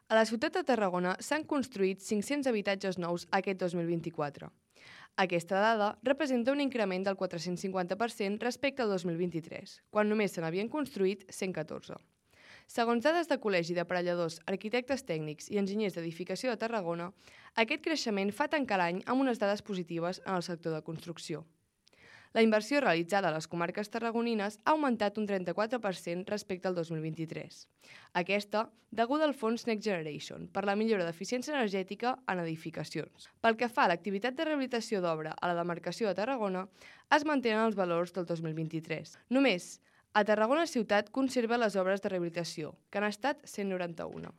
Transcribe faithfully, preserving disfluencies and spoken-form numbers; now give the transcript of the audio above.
A la ciutat de Tarragona s'han construït cinc-cents habitatges nous aquest dos mil vint-i-quatre. Aquesta dada representa un increment del quatre-cents cinquanta per cent respecte al dos mil vint-i-tres, quan només se n'havien construït cent catorze. Segons dades del Col·legi d'Aparelladors, Arquitectes Tècnics i Enginyers d'Edificació de Tarragona, aquest creixement fa tancar l'any amb unes dades positives en el sector de construcció. La inversió realitzada a les comarques tarragonines ha augmentat un trenta-quatre per cent respecte al dos mil vint-i-tres. Aquesta, deguda al fons Next Generation per la millora d'eficiència energètica en edificacions. Pel que fa a l'activitat de rehabilitació d'obra a la demarcació de Tarragona, es mantenen els valors del dos mil vint-i-tres. Només a Tarragona ciutat conserva les obres de rehabilitació, que han estat cent noranta-una.